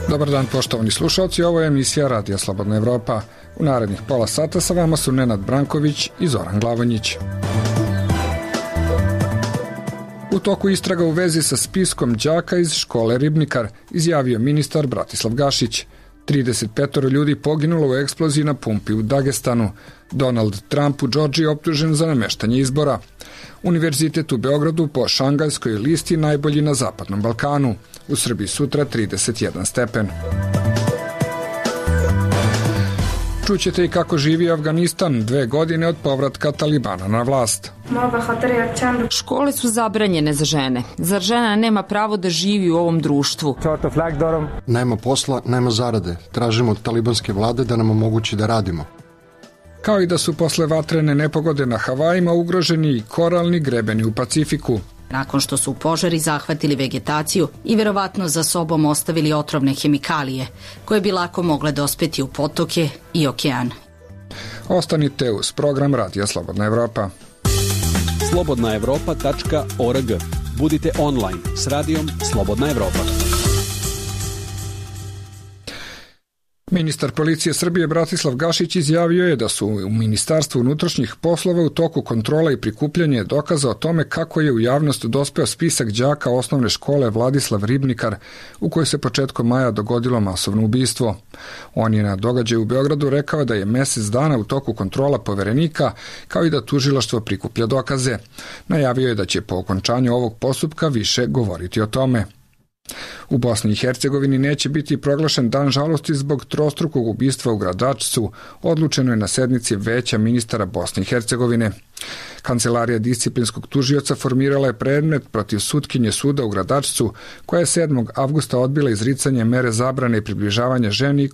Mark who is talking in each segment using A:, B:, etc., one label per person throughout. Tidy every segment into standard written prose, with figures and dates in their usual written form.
A: Dobar dan poštovani slušalci, ovo je emisija Radija Slobodna Evropa. U narednih pola sata sa vama su Nenad Branković i Zoran Glavonjić. U toku istraga u vezi sa spiskom đaka iz škole Ribnikar, izjavio ministar Bratislav Gašić. 35 ljudi poginulo u eksploziji na pumpi u Dagestanu. Donald Trump u Džordžiji optužen za nameštanje izbora. Univerzitet u Beogradu po Šangajskoj listi najbolji na Zapadnom Balkanu. U Srbiji sutra 31 stepen. Čućete i kako živi Afganistan 2 godine od povratka Talibana na vlast.
B: Škole su zabranjene za žene. Zar žena nema pravo da živi u ovom društvu?
C: Nema posla, nema zarade. Tražimo od talibanske vlade da nam omogući da radimo.
A: Kao i da su posle vatrene nepogode na Havajima ugroženi i koralni grebeni u Pacifiku.
D: Nakon što su požari zahvatili vegetaciju i verovatno za sobom ostavili otrovne hemikalije, koje bi lako mogle dospeti u potoke i okean.
A: Ostanite uz program Radija Slobodna Evropa.
E: slobodnaevropa.org. Budite online s radijom Slobodna Evropa.
A: Ministar policije Srbije Bratislav Gašić izjavio je da su u Ministarstvu unutrašnjih poslova u toku kontrola i prikupljanja dokaza o tome kako je u javnost dospeo spisak đaka osnovne škole Vladislav Ribnikar, u kojoj se početkom maja dogodilo masovno ubistvo. On je na događaju u Beogradu rekao da je mesec dana u toku kontrola poverenika, kao i da tužilaštvo prikuplja dokaze. Najavio je da će po okončanju ovog postupka više govoriti o tome. U Bosni i Hercegovini neće biti proglašen dan žalosti zbog trostrukog ubistva u Gradačcu, odlučeno je na sednici Veća ministara Bosne i Hercegovine. Kancelarija disciplinskog tužioca formirala je predmet protiv sutkinje suda u Gradačcu, koja je 7. avgusta odbila izricanje mere zabrane i približavanja ženi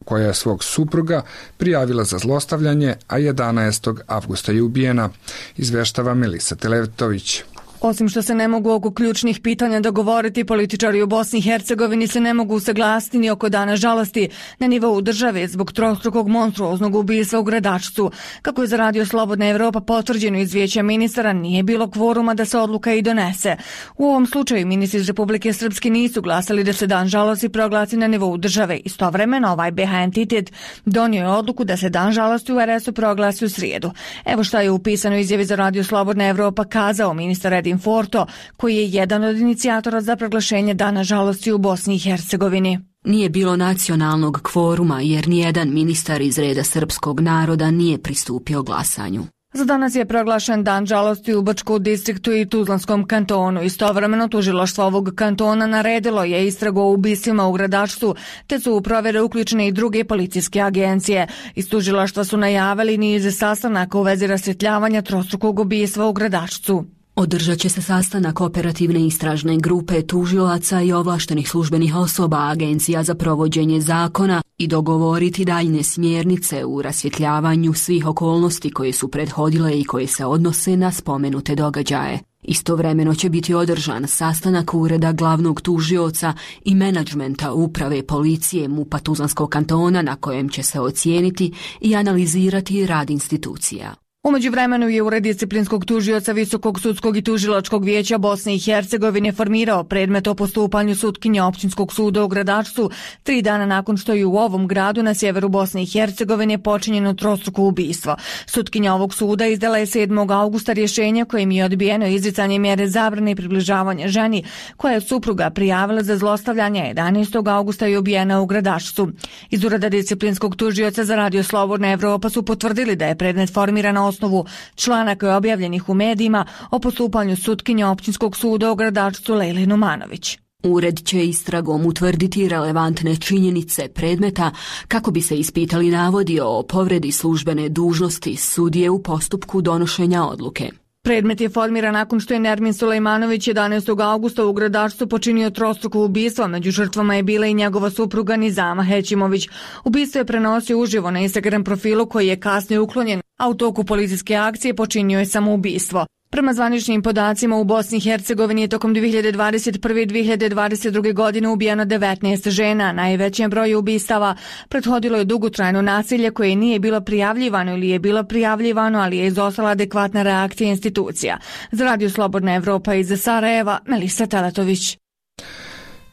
A: koja je svog supruga prijavila za zlostavljanje, a 11. avgusta je ubijena, izveštava Melisa Teletović.
F: Osim što se ne mogu oko ključnih pitanja dogovoriti, političari u Bosni i Hercegovini se ne mogu usaglasiti ni oko dana žalosti na nivou države zbog trostrukog monstruoznog ubistva u Gradačcu. Kako je za Radio Slobodna Evropa potvrđeno iz Vijeća ministara, nije bilo kvoruma da se odluka i donese. U ovom slučaju ministri iz Republike Srpske nisu glasali da se dan žalosti proglasi na nivou države. Istovremeno ovaj BH entitet donio je odluku da se dan žalosti u RS-u proglasi u srijedu. Evo šta je u pisanoj izjavi za Radio Slobodna Evropa kazao ministar Edin Forto, koji je jedan od inicijatora za proglašenje dana žalosti u Bosni i Hercegovini.
G: Nije bilo nacionalnog kvoruma jer nijedan ministar iz reda srpskog naroda nije pristupio glasanju.
F: Za danas je proglašen dan žalosti u Bačkom distriktu i Tuzlanskom kantonu. Istovremeno tužilaštvo ovog kantona naredilo je istragu o ubistvima u Gradačcu, te su u provjere uključene i druge policijske agencije. Iz tužilaštva su najavili niz sastanaka u vezi rasvjetljavanja trostrukog ubistva u Gradačcu.
G: Održat će se sastanak operativne istražne grupe tužilaca i ovlaštenih službenih osoba agencija za provođenje zakona i dogovoriti daljne smjernice u rasvjetljavanju svih okolnosti koje su prethodile i koje se odnose na spomenute događaje. Istovremeno će biti održan sastanak ureda glavnog tužioca i menadžmenta uprave policije MUP-a Tuzlanskog kantona na kojem će se ocijeniti i analizirati rad institucija.
F: U međuvremenu je Ured disciplinskog tužioca Visokog sudskog i tužilačkog vijeća Bosne i Hercegovine formirao predmet o postupanju sutkinja općinskog suda u Gradačcu 3 dana nakon što je u ovom gradu na sjeveru Bosne i Hercegovine počinjeno trostruko ubistvo. Sutkinja ovog suda izdala je 7. augusta rješenje kojim je odbijeno izricanje mjere zabrane i približavanja ženi koja je supruga prijavila za zlostavljanje. 11. augusta je ubijena u Gradačcu. Iz Ureda disciplinskog tužioca za Radio Slobodna Evropa su potvrdili da je predmet formiran na osnovu članaka objavljenih u medijima o postupanju sutkinja općinskog suda u Gradačcu Lejli Numanović.
G: Ured će istragom utvrditi relevantne činjenice predmeta kako bi se ispitali navodi o povredi službene dužnosti sudije u postupku donošenja odluke.
F: Predmet je formiran nakon što je Nermin Sulejmanović 11. augusta u Gradačcu počinio trostruko ubistvo. Među žrtvama je bila i njegova supruga Nizama Hećimović. Ubistvo je prenosio uživo na Instagram profilu koji je kasnije uklonjen, a u toku policijske akcije počinio je samoubistvo. Prema zvaničnim podacima u Bosni i Hercegovini je tokom 2021. i 2022. godine ubijeno 19 žena. Najvećem broju ubistava prethodilo je dugotrajno nasilje koje nije bilo prijavljivano ili je bilo prijavljivano, ali je izostala adekvatna reakcija institucija. Za Radio Slobodna Evropa iz Sarajeva, Melisa Teletović.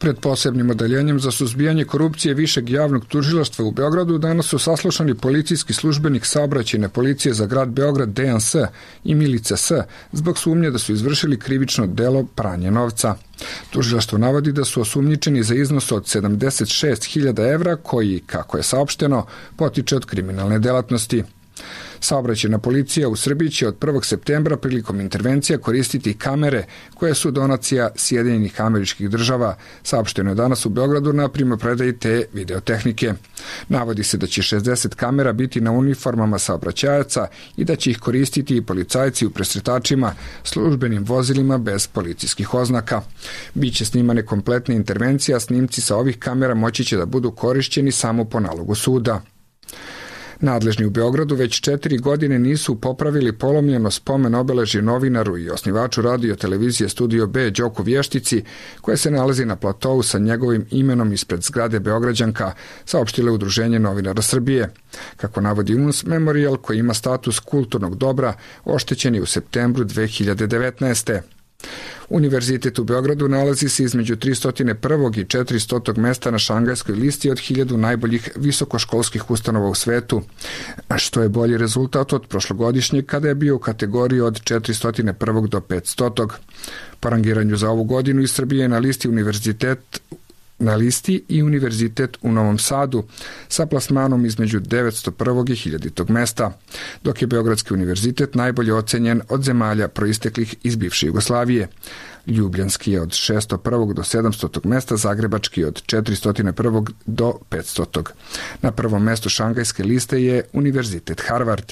A: Pred posebnim odeljenjem za suzbijanje korupcije Višeg javnog tužilaštva u Beogradu danas su saslušani policijski službenik saobraćajne policije za grad Beograd Dejan S. i Milica S. zbog sumnje da su izvršili krivično delo pranja novca. Tužilaštvo navodi da su osumnjičeni za iznos od 76.000 evra koji, kako je saopšteno, potiče od kriminalne delatnosti. Saobraćajna policija u Srbiji će od 1. septembra prilikom intervencija koristiti kamere koje su donacija Sjedinjenih Američkih Država. Saopšteno je danas u Beogradu na primopredaji te videotehnike. Navodi se da će 60 kamera biti na uniformama saobraćajaca i da će ih koristiti i policajci u presretačima, službenim vozilima bez policijskih oznaka. Biće snimane kompletne intervencije, a snimci sa ovih kamera moći će da budu korišćeni samo po nalogu suda. Nadležni u Beogradu već 4 godine nisu popravili polomljeno spomen obeležje novinaru i osnivaču radio televizije Studio B Đoku Vještici, koje se nalazi na platovu sa njegovim imenom ispred zgrade Beograđanka, saopštile Udruženje novinara Srbije. Kako navodi UNS, memorijal koji ima status kulturnog dobra oštećen je u septembru 2019. Univerzitet u Beogradu nalazi se između 301. i 400. mesta na Šangajskoj listi od 1000 najboljih visokoškolskih ustanova u svetu, što je bolji rezultat od prošlogodišnjeg kada je bio u kategoriji od 401. do 500. Po rangiranju za ovu godinu iz Srbije je na listi i univerzitet u Novom Sadu sa plasmanom između 901. i 1000. mesta, dok je Beogradski univerzitet najbolje ocenjen od zemalja proisteklih iz bivše Jugoslavije. Ljubljanski je od 601. do 700. mesta, Zagrebački od 401. do 500. Na prvom mestu Šangajske liste je univerzitet Harvard.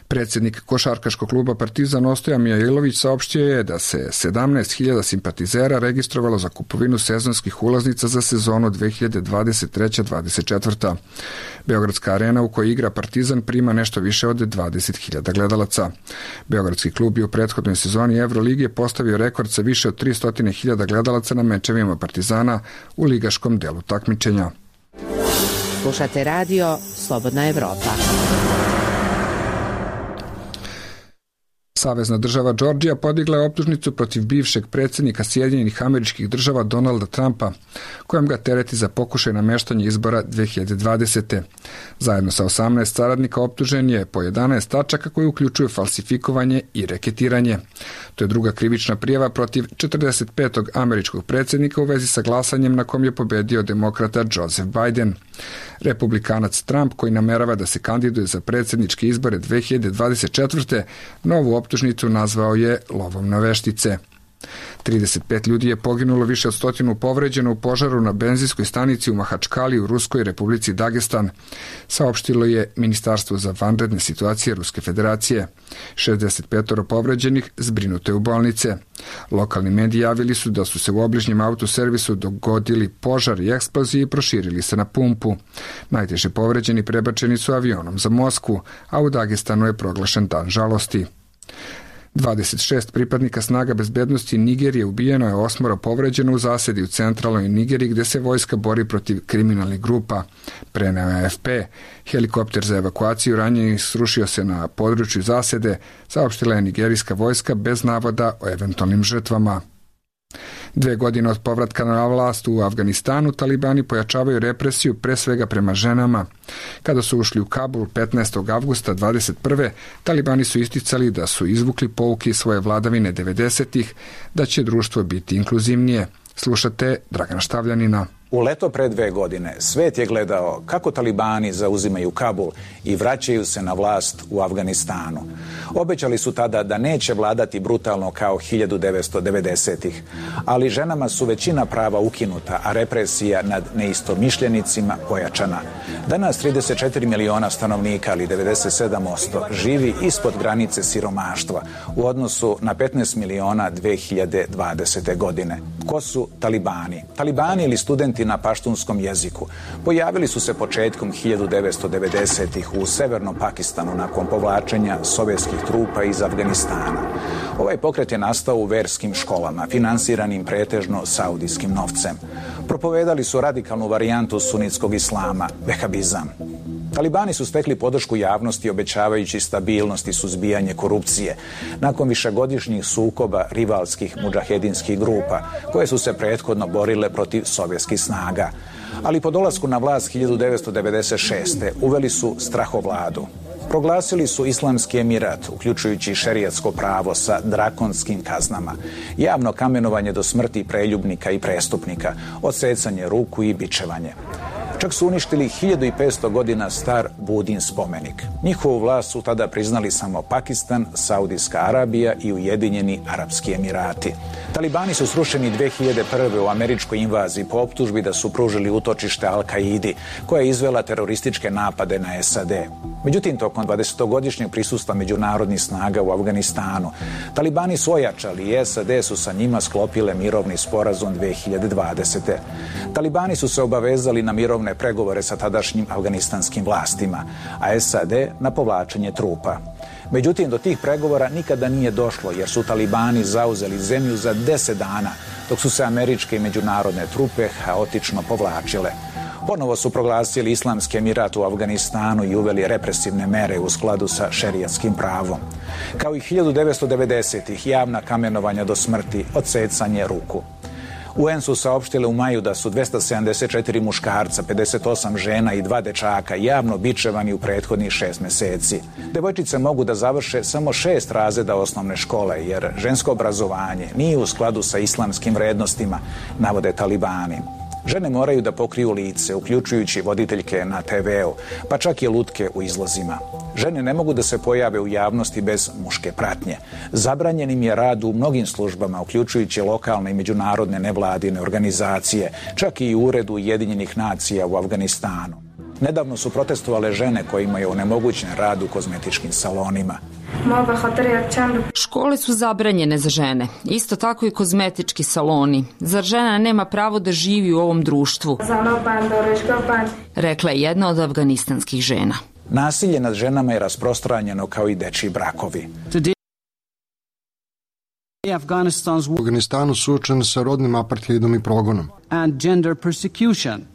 A: Predsjednik košarkaškog kluba Partizan Ostoja Mijailović saopštio je da se 17.000 simpatizera registrovalo za kupovinu sezonskih ulaznica za sezonu 2023-24. Beogradska arena u kojoj igra Partizan prima nešto više od 20.000 gledalaca. Beogradski klub je u prethodnoj sezoni Evroligije postavio rekord sa više od 300.000 gledalaca na mečevima Partizana u ligaškom delu takmičenja.
H: Slušate radio Slobodna Evropa.
A: Savezna država Džordžija podigla je optužnicu protiv bivšeg predsjednika Sjedinjenih Američkih Država Donalda Trumpa, kojom ga tereti za pokušaj nameštanja izbora 2020. Zajedno sa 18 saradnika optužen je po 11 tačaka koji uključuju falsifikovanje i reketiranje. To je druga krivična prijava protiv 45. američkog predsjednika u vezi sa glasanjem na kom je pobedio demokrata Joseph Biden. Republikanac Trump, koji namerava da se kandiduje za predsjedničke izbore 2024. novu optužnicu nazvao je lovom na veštice. 35 ljudi je poginulo, više od 100 povređeno u požaru na benzinskoj stanici u Mahačkali u Ruskoj Republici Dagestan, saopštilo je Ministarstvo za vanredne situacije Ruske federacije. 65 povređenih zbrinuto je u bolnice. Lokalni mediji javili su da su se u obližnjem autoservisu dogodili požar i eksploziji i proširili se na pumpu. Najteže povređeni prebačeni su avionom za Moskvu, a u Dagestanu je proglašen dan žalosti. 26 pripadnika snaga bezbednosti Nigerije ubijeno je, 8 povređeno u zasedi u centralnoj Nigeriji gdje se vojska bori protiv kriminalnih grupa, preneo je AFP. Helikopter za evakuaciju ranjenih srušio se na području zasede, saopštila je nigerijska vojska bez navoda o eventualnim žrtvama. 2 godine od povratka na vlast u Afganistanu, talibani pojačavaju represiju pre svega prema ženama. Kada su ušli u Kabul 15. avgusta 21. talibani su isticali da su izvukli pouke iz svoje vladavine 90-ih, da će društvo biti inkluzivnije. Slušate Dragana Štavljanina.
I: U leto pre 2 godine svet je gledao kako talibani zauzimaju Kabul i vraćaju se na vlast u Afganistanu. Obećali su tada da neće vladati brutalno kao 1990-ih, ali ženama su većina prava ukinuta, a represija nad neistomišljenicima pojačana. Danas 34 miliona stanovnika, ali 97%, živi ispod granice siromaštva u odnosu na 15 miliona 2020. godine. Ko su talibani? Talibani ili studenti na paštunskom jeziku pojavili su se početkom 1990-ih u severnom Pakistanu nakon povlačenja sovjetskih trupa iz Afganistana. Ovaj pokret je nastao u verskim školama, finansiranim pretežno saudijskim novcem. Propovedali su radikalnu varijantu sunitskog islama, vehabizam. Talibani su stekli podršku javnosti obećavajući stabilnost i suzbijanje korupcije nakon višegodišnjih sukoba rivalskih mudžahedinskih grupa koje su se prethodno borile protiv sovjetskih snaga. Ali po dolasku na vlast 1996. uveli su strahovladu. Proglasili su Islamski emirat, uključujući šerijatsko pravo sa drakonskim kaznama, javno kamenovanje do smrti preljubnika i prestupnika, odsecanje ruku i bičevanje. Čak su uništili 1500 godina star Budin spomenik. Njihovu vlast su tada priznali samo Pakistan, Saudijska Arabija i Ujedinjeni Arapski Emirati. Talibani su srušeni 2001. u američkoj invaziji po optužbi da su pružili utočište Al-Kaidi, koja je izvela terorističke napade na SAD. Međutim, tokom 20-godišnjeg prisustva međunarodnih snaga u Afganistanu, Talibani su ojačali i SAD su sa njima sklopile mirovni sporazum 2020. Talibani su se obavezali na mirovne pregovore sa tadašnjim afganistanskim vlastima, a SAD na povlačenje trupa. Međutim, do tih pregovora nikada nije došlo jer su Talibani zauzeli zemlju za 10 dana, dok su se američke i međunarodne trupe haotično povlačile. Ponovo su proglasili Islamski emirat u Afganistanu i uveli represivne mere u skladu sa šerijatskim pravom. Kao i 1990-ih javna kamenovanja do smrti, odsecanje ruku. UN su saopštile u maju da su 274 muškarca, 58 žena i 2 dečaka javno bičevani u prethodnih 6 meseci. Devojčice mogu da završe samo 6 razreda osnovne škole, jer žensko obrazovanje nije u skladu sa islamskim vrednostima, navode Talibani. Žene moraju da pokriju lice, uključujući voditeljke na TV-u, pa čak i lutke u izlozima. Žene ne mogu da se pojave u javnosti bez muške pratnje. Zabranjen im je rad u mnogim službama, uključujući lokalne i međunarodne nevladine organizacije, čak i u Uredu Ujedinjenih nacija u Afganistanu. Nedavno su protestovale žene kojima je onemogućen rad u kozmetičkim salonima.
B: Škole su zabranjene za žene, isto tako i kozmetički saloni. Zar žena nema pravo da živi u ovom društvu? Rekla je jedna od afganistanskih žena.
I: Nasilje nad ženama je rasprostranjeno kao i dečiji brakovi.
C: U Afganistanu suočen sa rodnim apartheidom i progonom.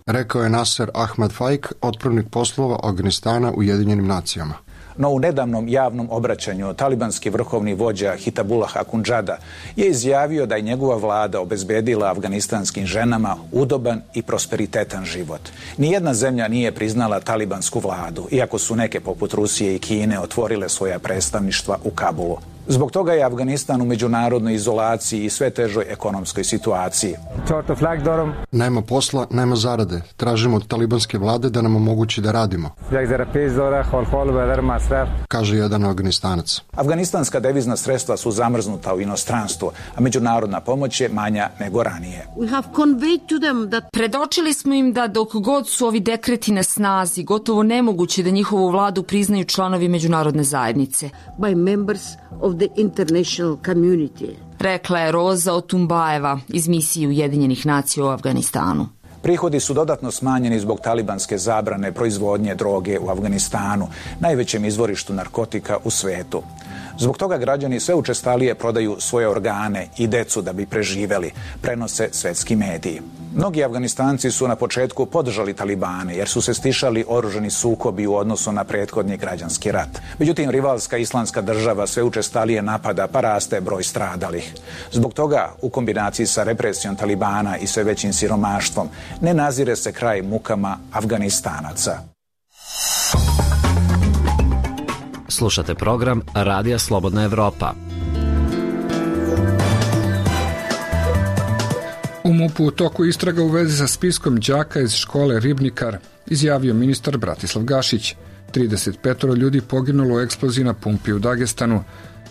C: Rekao je Nasser Ahmad Faik, otpravnik poslova Afganistana u Ujedinjenim nacijama.
I: No u nedavnom javnom obraćanju talibanski vrhovni vođa Hitabullah Akhundžada je izjavio da je njegova vlada obezbedila afganistanskim ženama udoban i prosperitetan život. Nijedna zemlja nije priznala talibansku vladu, iako su neke poput Rusije i Kine otvorile svoja predstavništva u Kabulu. Zbog toga je Afganistan u međunarodnoj izolaciji i sve težoj ekonomskoj situaciji.
C: Nema posla, nema zarade. Tražimo od talibanske vlade da nam omogući da radimo, kaže jedan Afganistanac.
I: Afganistanska devizna sredstva su zamrznuta u inostranstvu, a međunarodna pomoć je manja nego ranije.
B: Predočili smo im da dok god su ovi dekreti na snazi, gotovo nemoguće da njihovu vladu priznaju članovi međunarodne zajednice. Rekla je Roza Otumbajeva iz misije Ujedinjenih nacija u Afganistanu.
I: Prihodi su dodatno smanjeni zbog talibanske zabrane proizvodnje droge u Afganistanu, najvećem izvorištu narkotika u svetu. Zbog toga građani sve učestalije prodaju svoje organe i decu da bi preživeli, prenose svetski mediji. Mnogi Afganistanci su na početku podržali Talibane jer su se stišali oružani sukobi u odnosu na prethodni građanski rat. Međutim, rivalska islamska država sve učestalije napada pa raste broj stradalih. Zbog toga, u kombinaciji sa represijom Talibana i sve većim siromaštvom, ne nazire se kraj mukama Afganistanaca.
J: Slušate program Radija Slobodna Evropa.
A: U MUP-u u toku istraga u vezi sa spiskom đaka iz škole Ribnikar, izjavio ministar Bratislav Gašić. 35 ljudi poginulo u eksploziji na pumpi u Dagestanu.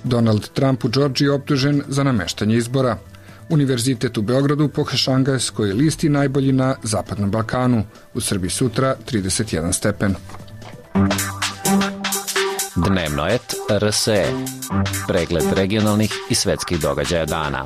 A: Donald Trump u Džordžiji optužen za nameštanje izbora. Univerzitet u Beogradu po Šangajskoj listi najbolji na Zapadnom Balkanu. U Srbiji sutra 31 stepen.
J: Dnevno et RSE. Pregled regionalnih i svetskih događaja dana.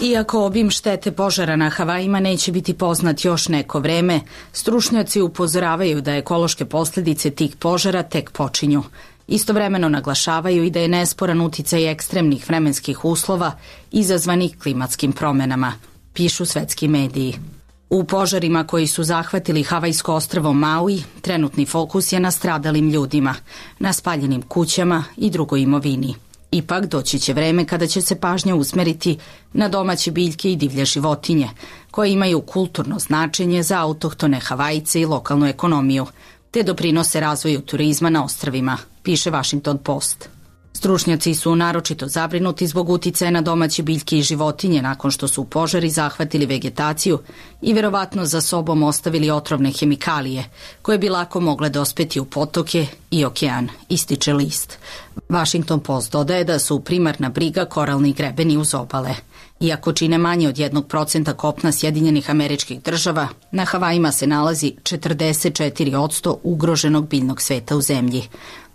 D: Iako obim štete požara na Havajima neće biti poznat još neko vreme, stručnjaci upozoravaju da ekološke posljedice tih požara tek počinju. Istovremeno naglašavaju i da je nesporan uticaj ekstremnih vremenskih uslova izazvanih klimatskim promenama, pišu svetski mediji. U požarima koji su zahvatili Havajsko ostrvo Maui, trenutni fokus je na stradalim ljudima, na spaljenim kućama i drugoj imovini. Ipak doći će vreme kada će se pažnja usmeriti na domaće biljke i divlje životinje, koje imaju kulturno značenje za autohtone Havajce i lokalnu ekonomiju, te doprinose razvoju turizma na ostrvima, piše Washington Post. Stručnjaci su naročito zabrinuti zbog uticaja na domaće biljke i životinje nakon što su požari zahvatili vegetaciju i verovatno za sobom ostavili otrovne hemikalije, koje bi lako mogle dospeti u potoke i okean, ističe list. Washington Post dodaje da su primarna briga koralni grebeni uz obale. Iako čine manje od 1% kopna Sjedinjenih Američkih Država, na Havajima se nalazi 44% ugroženog biljnog sveta u zemlji.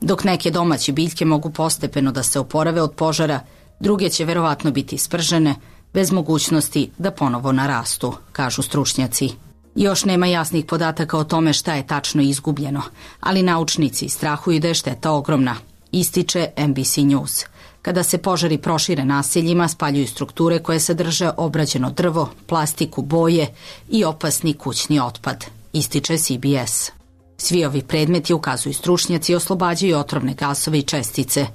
D: Dok neke domaće biljke mogu postepeno da se oporave od požara, druge će verovatno biti spržene, bez mogućnosti da ponovo narastu, kažu stručnjaci. Još nema jasnih podataka o tome šta je tačno izgubljeno, ali naučnici strahuju da je šteta ogromna, ističe NBC News. Kada se požari prošire naseljima, spaljuju strukture koje sadrže obrađeno drvo, plastiku, boje i opasni kućni otpad, ističe CBS. Svi ovi predmeti, ukazuju stručnjaci, oslobađaju otrovne gasove i čestice.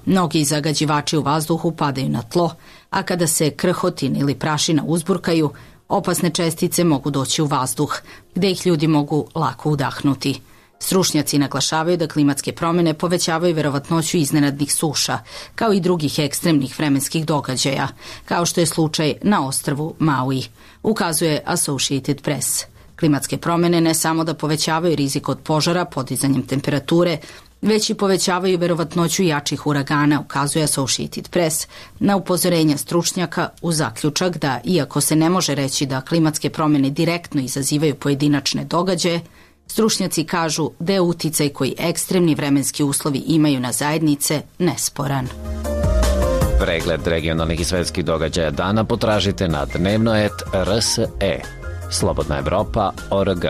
D: Mnogi zagađivači u vazduhu padaju na tlo, a kada se krhotin ili prašina uzburkaju, opasne čestice mogu doći u vazduh, gde ih ljudi mogu lako udahnuti. Stručnjaci naglašavaju da klimatske promjene povećavaju verovatnoću iznenadnih suša, kao i drugih ekstremnih vremenskih događaja, kao što je slučaj na ostrvu Maui, ukazuje Associated Press. Klimatske promjene ne samo da povećavaju rizik od požara podizanjem temperature, već i povećavaju verovatnoću jačih uragana, ukazuje Associated Press, na upozorenja stručnjaka u zaključak da, iako se ne može reći da klimatske promjene direktno izazivaju pojedinačne događaje, stručnjaci kažu da je uticaj koji ekstremni vremenski uslovi imaju na zajednice nesporan.
J: Pregled regionalnih i svetskih događaja dana potražite na dnevnoet.rse. Slobodna Evropa.org.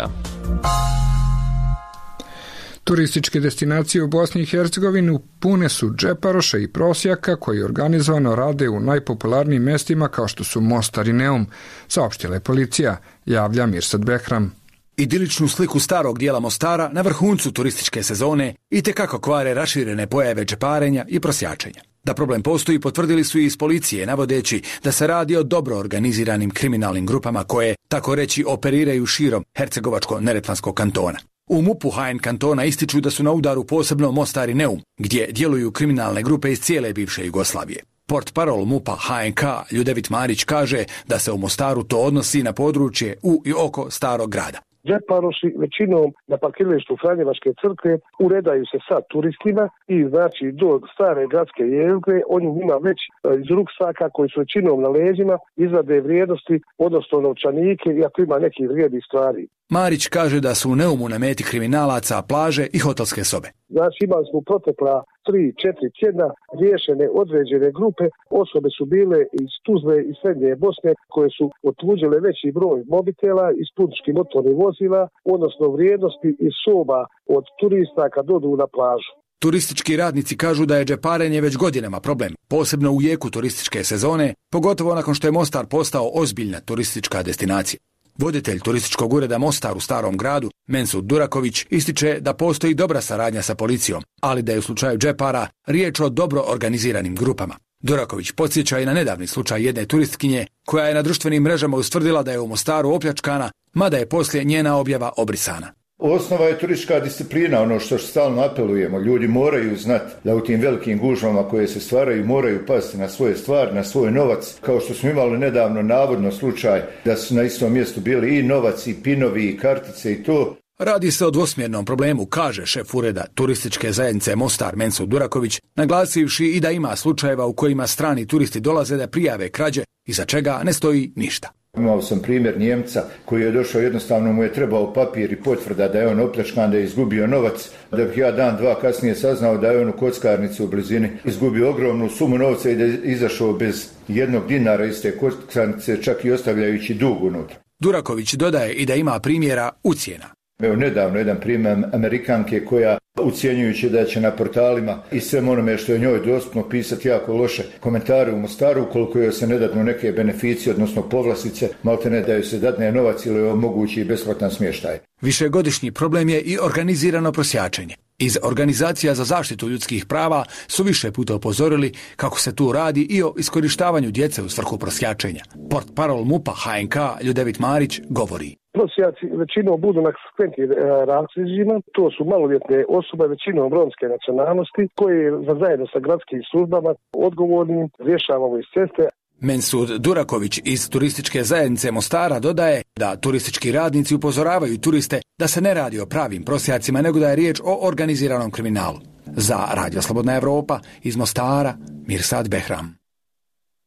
A: Turističke destinacije u Bosni i Hercegovini pune su džeparoša i prosjaka koji organizovano rade u najpopularnijim mestima kao što su Mostar i Neum, saopštila je policija, javlja Mirsad Behram.
K: Idiličnu sliku starog dijela Mostara na vrhuncu turističke sezone itekako kvare raširene pojave džeparenja i prosjačenja. Da problem postoji potvrdili su i iz policije, navodeći da se radi o dobro organiziranim kriminalnim grupama koje, tako reći, operiraju širom Hercegovačko-Neretvanskog kantona. U MUP-u HN kantona ističu da su na udaru posebno Mostar i Neum, gdje djeluju kriminalne grupe iz cijele bivše Jugoslavije. Portparol MUP-a HNK Ljudevit Marić kaže da se u Mostaru to odnosi na područje u i oko starog grada.
L: Džeparoši većinom na parkiralištu Franjevačke crkve uredaju se sa turistima i znači do stare gradske jezgre oni njima već iz ruksaka koji su većinom na leđima izvade vrijednosti, odnosno novčanike i ako ima nekih vrijednih stvari.
K: Marić kaže da su u Neumu na meti kriminalaca plaže i hotelske sobe.
L: Znači imali smo protekla 3-4 tjedna riješene određene grupe, osobe su bile iz Tuzle i Srednje Bosne koje su otuđile veći broj mobitela iz putničkih motornih vozila, odnosno vrijednosti iz soba od turista kad odu na plažu.
K: Turistički radnici kažu da je džeparenje već godinama problem, posebno u jeku turističke sezone, pogotovo nakon što je Mostar postao ozbiljna turistička destinacija. Voditelj turističkog ureda Mostar u starom gradu, Mensud Duraković, ističe da postoji dobra saradnja sa policijom, ali da je u slučaju džepara riječ o dobro organiziranim grupama. Duraković podsjeća i na nedavni slučaj jedne turistkinje koja je na društvenim mrežama ustvrdila da je u Mostaru opljačkana, mada je poslije njena objava obrisana.
M: Osnova je turistička disciplina, ono što stalno apelujemo. Ljudi moraju znati da u tim velikim gužvama koje se stvaraju moraju pasti na svoje stvari, na svoj novac. Kao što smo imali nedavno navodno slučaj da su na istom mjestu bili i novac, i pinovi, i kartice i to.
K: Radi se o dvosmjernom problemu, kaže šef ureda turističke zajednice Mostar Mensud Duraković, naglasivši i da ima slučajeva u kojima strani turisti dolaze da prijave krađe, iza čega ne stoji ništa.
M: Imao sam primjer Njemca koji je došao, jednostavno mu je trebao papir i potvrda da je on opljačkan, da je izgubio novac, da bih ja dan, dva kasnije saznao da je on u kockarnici u blizini izgubio ogromnu sumu novca i da je izašao bez jednog dinara iz te kockarnice, čak i ostavljajući dug unutra.
K: Duraković dodaje i da ima primjera ucjena.
M: Evo nedavno jedan primjer Amerikanke koja ucijenjujući da će na portalima i sve onome što je njoj dostupno pisati jako loše komentare u Mostaru, ukoliko joj se ne dadnu neke beneficije, odnosno povlastice, malte ne da joj se dadne novac ili omogući besplatan smještaj.
K: Višegodišnji problem je i organizirano prosjačenje. Iz organizacija za zaštitu ljudskih prava su više puta upozorili kako se tu radi i o iskorištavanju djece u svrhu prosjačenja. Portparol MUP-a HNK Ljudevit Marić govori.
L: Prosjaci većinom budu na skventnim razlozima, to su maloljetne osobe, većinom romske nacionalnosti, koje zajedno sa gradskim službama odgovornim rješavamo iz ceste.
K: Mensud Duraković iz turističke zajednice Mostara dodaje da turistički radnici upozoravaju turiste da se ne radi o pravim prosjacima, nego da je riječ o organiziranom kriminalu. Za Radio Slobodna Evropa iz Mostara, Mirsad Behram.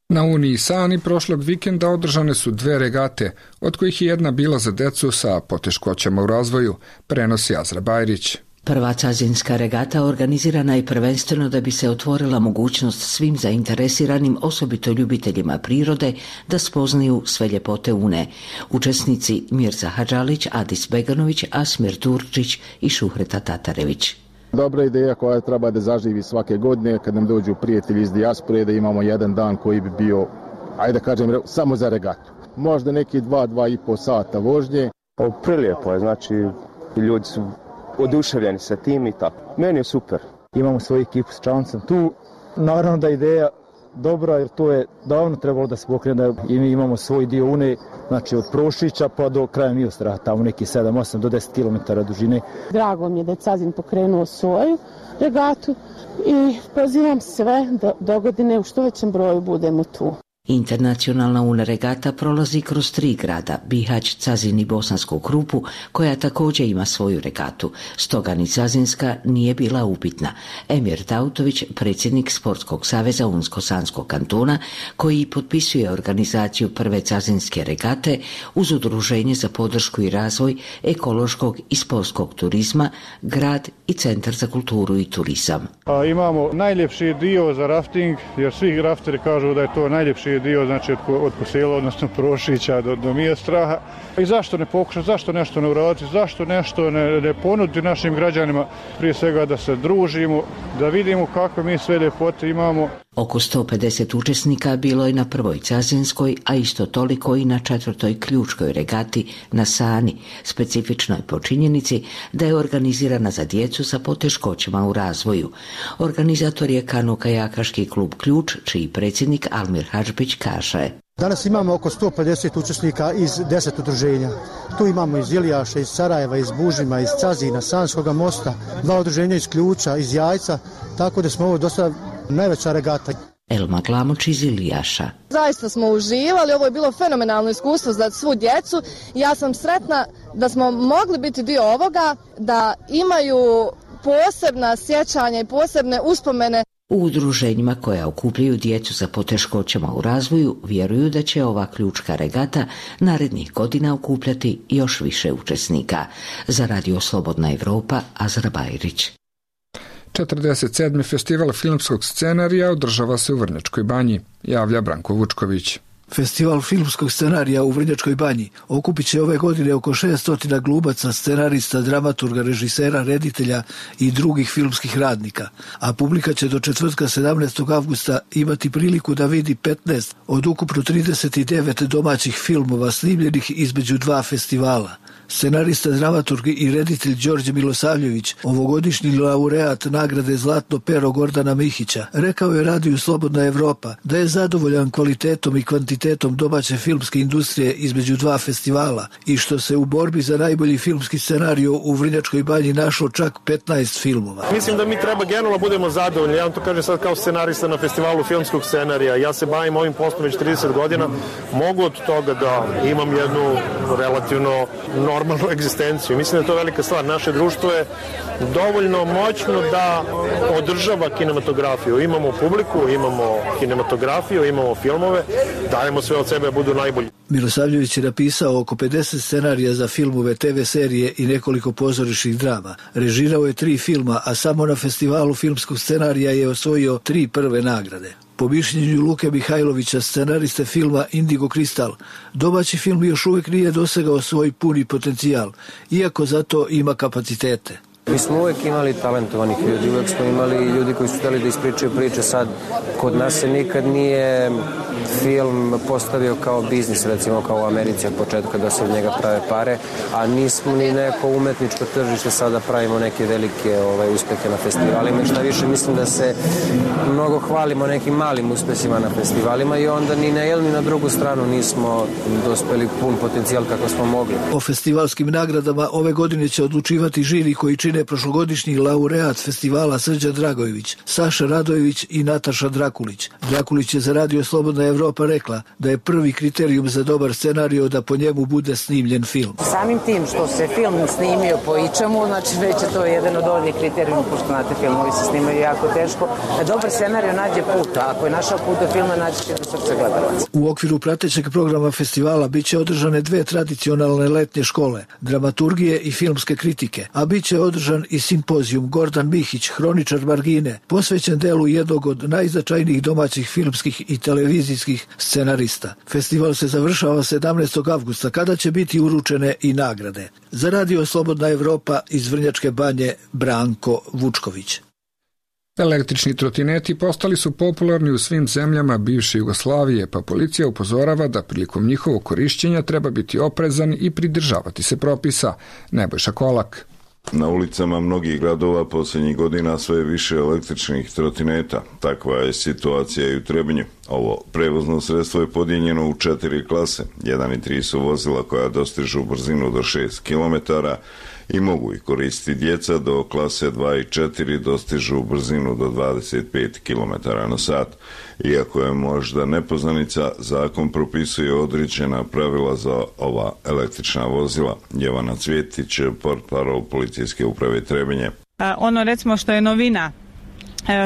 A: Na Uniji Sani prošlog vikenda održane su 2 regate, od kojih je jedna bila za decu sa poteškoćama u razvoju, prenosi Azra Bajrić.
N: Prva cazinska regata organizirana je prvenstveno da bi se otvorila mogućnost svim zainteresiranim, osobito ljubiteljima prirode, da spoznaju sve ljepote Une. Učesnici Mirza Hadžalić, Adis Beganović, Asmir Turčić i Šuhreta Tatarević.
O: Dobra ideja koja treba da zaživi svake godine kad nam dođu prijatelji iz dijaspore, da imamo jedan dan koji bi bio, ajde da kažem, samo za regatu. Možda neki 2,5 sata vožnje.
P: Prilijepo je, znači ljudi su oduševljeni sa tim i tako. Meni je super.
Q: Imamo svoju ekipu s čamcem tu. Naravno da je ideja dobra jer to je davno trebalo da se pokrene i mi imamo svoj dio Une, znači od Prošića pa do kraja Milostra, tamo neki 7, 8 do 10 km dužine.
R: Drago mi je da je Cazin pokrenuo svoju regatu i pozivam sve da dogodine u što većem broju budemo tu.
N: Internacionalna Una regata prolazi kroz 3 grada, Bihać, Cazin i Bosansku Krupu, koja također ima svoju regatu. Stoga ni cazinska nije bila upitna. Emir Tautović, predsjednik Sportskog saveza Unsko-Sanskog kantona, koji potpisuje organizaciju prve cazinske regate uz Udruženje za podršku i razvoj ekološkog i sportskog turizma, grad i Centar za kulturu i turizam.
S: Imamo najljepši dio za rafting, jer svi rafteri kažu da je to najljepši dio, znači od Kosela, odnosno Prošića do Mijestraha. I zašto ne pokušati, zašto nešto ne uraditi, zašto nešto ne ponuditi našim građanima, prije svega da se družimo, da vidimo kako mi sve ljepote imamo.
N: Oko 150 učesnika bilo je na prvoj cazinskoj, a isto toliko i na 4. ključkoj regati na Sani, specifičnoj po činjenici da je organizirana za djecu sa poteškoćama u razvoju. Organizator je kano-kajakaški klub Ključ, čiji predsjednik Almir Hadžbić kaže.
T: Danas imamo oko 150 učesnika iz 10 udruženja. Tu imamo iz Ilijaša, iz Sarajeva, iz Bužima, iz Cazina, Sanskoga mosta, 2 udruženja iz Ključa, iz Jajca, tako da smo ovo dosta najveća regata.
N: Elma Glamoč iz Ilijaša.
U: Zaista smo uživali, ovo je bilo fenomenalno iskustvo za svu djecu. Ja sam sretna da smo mogli biti dio ovoga, da imaju posebna sjećanja i posebne uspomene.
N: U udruženjima koja okupljaju djecu sa poteškoćama u razvoju vjeruju da će ova ključka regata narednih godina okupljati još više učesnika. Za Radio Slobodna Evropa, Azra Bajrić.
A: 47. festival filmskog scenarija održava se u Vrnjačkoj Banji, javlja Branko Vučković.
V: Festival filmskog scenarija u Vrnjačkoj Banji okupit će ove godine oko 600 glumaca, scenarista, dramaturga, režisera, reditelja i drugih filmskih radnika, a publika će do četvrtka 17. avgusta imati priliku da vidi 15 od ukupno 39 domaćih filmova snimljenih između 2 festivala. Scenarista, dramaturg i reditelj Đorđe Milosavljević, ovogodišnji laureat nagrade Zlatno pero Gordana Mihića, rekao je Radiju Slobodna Evropa da je zadovoljan kvalitetom i kvantitetom domaće filmske industrije između 2 festivala i što se u borbi za najbolji filmski scenario u Vrnjačkoj Banji našlo čak 15 filmova.
W: Mislim da mi treba generalno budemo zadovoljni. Ja vam to kažem sad kao scenarista na festivalu filmskog scenarija. Ja se bavim ovim poslom već 30 godina. Mogu od toga da imam jednu relativno normalnu egzistenciju. Mislim da je to velika stvar. Naše društvo je dovoljno moćno da održava kinematografiju. Imamo publiku, imamo kinematografiju, imamo filmove, dajemo sve od sebe da budu najbolji.
V: Milosavljević je napisao oko 50 scenarija za filmove, TV serije i nekoliko pozorišnih drama. Režirao je 3 filma, a samo na festivalu filmskog scenarija je osvojio 3 prve nagrade. Po mišljenju Luke Mihajlovića, scenariste filma Indigo Kristal, domaći film još uvijek nije dosegao svoj puni potencijal, iako zato ima kapacitete.
E: Mi smo uvijek imali talentovanih ljudi, uvijek smo imali ljudi koji su htjeli da ispričaju priče. Sad, kod nas se nikad nije film postavio kao biznis, recimo kao u Americi od početka da se od njega prave pare, a nismo ni neko umetničko tržište sada pravimo neke velike uspehe na festivalima. I šta više, mislim da se mnogo hvalimo nekim malim uspesima na festivalima i onda ni na jednu ni na drugu stranu nismo dospeli pun potencijal kako smo mogli.
V: O festivalskim nagradama ove godine će odlučivati žiri koji čine prošlogodišnji laureat festivala Srđan Dragojević, Saša Radojević i Nataša Drakulić. Drakulić je za Radio Slobodna Evropa rekla da je prvi kriterijum za dobar scenario da po njemu bude snimljen film.
F: Samim tim što se film snimio po ičemu, znači već je to jedan od ovih kriterijuma, pošto znate, filmovi se snimaju jako teško, da dobar scenario nađe put, a ako je našao put do filma, naći će do srca gledalaca.
V: U okviru pratećeg programa festivala biće održane 2 tradicionalne letnje škole, dramaturgije i filmske kritike, a biće održan i simpozijum Gordan Mihić, hroničar margine, posvećen delu jednog od najznačajnijih domaćih filmskih i televizijskih scenarista. Festival se završava 17. avgusta, kada će biti uručene i nagrade. Za Radio Slobodna Evropa iz Vrnjačke Banje, Branko Vučković.
A: Električni trotineti postali su popularni u svim zemljama bivše Jugoslavije, pa policija upozorava da prilikom njihovog korišćenja treba biti oprezan i pridržavati se propisa. Nebojša Kolak.
G: Na ulicama mnogih gradova posljednjih godina sve više električnih trotineta. Takva je situacija i u Trebinju. Ovo prevozno sredstvo je podijeljeno u 4 klase. 1 i 3 su vozila koja dostižu brzinu do 6 km i mogu ih koristiti djeca, do klase 2 i 4 dostižu brzinu do 25 km na sat. Iako je možda nepoznanica, zakon propisuje određena pravila za ova električna vozila. Jevana Cvjetić, portparol Policijske uprave Trebinje.
X: Ono recimo što je novina,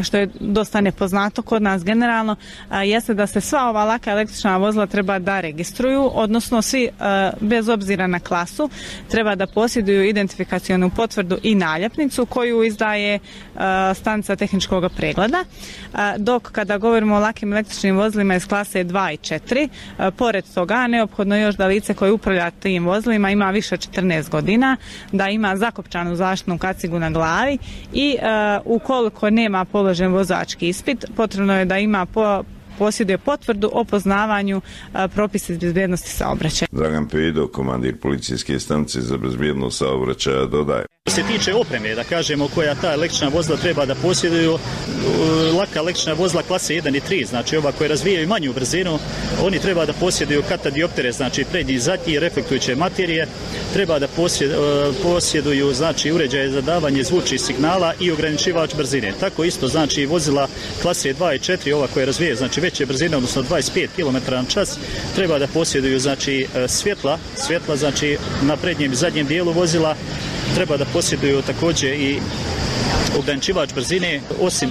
X: što je dosta nepoznato kod nas generalno, jeste da se sva ova laka električna vozila treba da registruju, odnosno svi bez obzira na klasu treba da posjeduju identifikacionu potvrdu i naljepnicu koju izdaje stanica tehničkog pregleda, dok kada govorimo o lakim električnim vozilima iz klase 2 i 4, pored toga neophodno još da lice koje upravlja tim vozilima ima više od 14 godina, da ima zakopčanu zaštitnu kacigu na glavi i ukoliko nema položen vozački ispit, potrebno je da ima posjeduje potvrdu o poznavanju propisa iz bezbjednosti saobraćaja.
G: Dragan Pejdo, komandir policijske stanice za bezbjednost saobraćaja, dodaje.
Y: Što se tiče opreme, da kažemo, koja ta električna vozila treba da posjeduju, laka električna vozila klase 1 i 3, znači ova koja razvijaju manju brzinu, oni treba da posjeduju katadioptere, znači prednji i zadnji, reflektujuće materije, treba da posjeduju znači uređaje za davanje zvučnih signala i ograničivač brzine. Tako isto znači vozila klase 2 i 4, ova koja razvijaju znači veće brzine, odnosno 25 km na čas, treba da posjeduju znači svjetla znači na prednjem i zadnjem dijelu vozila, treba da posjeduju također i ograničivač brzine,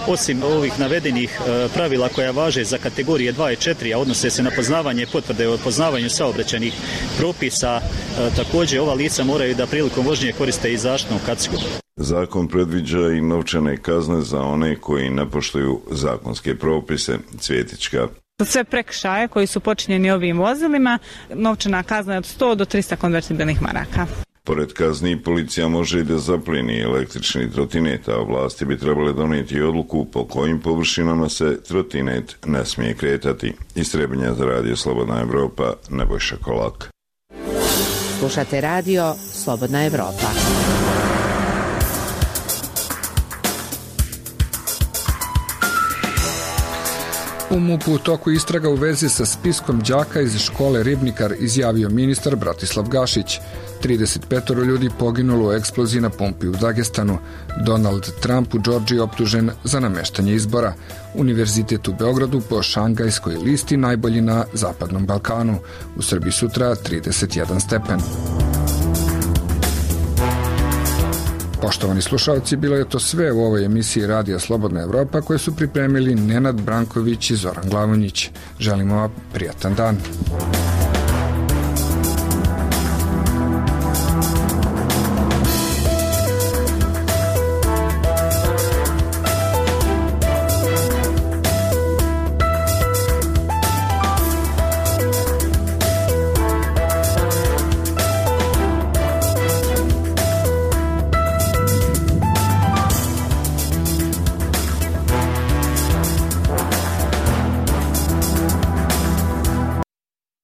Y: osim ovih navedenih pravila koja važe za kategorije 2 i 4, a odnose se na poznavanje potvrde o poznavanju saobraćajnih propisa, također ova lica moraju da prilikom vožnje koriste i zaštitnu kacigu.
G: Zakon predviđa i novčane kazne za one koji ne poštuju zakonske propise. Cvjetička.
X: Sve prekršaje koji su počinjeni ovim vozilima, novčana kazna je od 100 do 300 konvertibilnih maraka.
G: Pored kazni, policija može i da zaplijeni električni trotinet, a vlasti bi trebale donijeti odluku po kojim površinama se trotinet ne smije kretati. Iz Trebinja za Radio Slobodna Evropa, Nebojša Kolak.
H: Slušate Radio Slobodna Evropa.
A: U MUP-u u toku istraga u vezi sa spiskom đaka iz škole Ribnikar, izjavio ministar Bratislav Gašić. 35 ljudi poginulo u eksploziji na pumpi u Dagestanu. Donald Trump u Džordžiji optužen za nameštanje izbora. Univerzitet u Beogradu po šangajskoj listi najbolji na Zapadnom Balkanu. U Srbiji sutra 31 stepen. Poštovani slušalci, bilo je to sve u ovoj emisiji Radija Slobodna Evropa koje su pripremili Nenad Branković i Zoran Glavonjić. Želimo vam prijatan dan.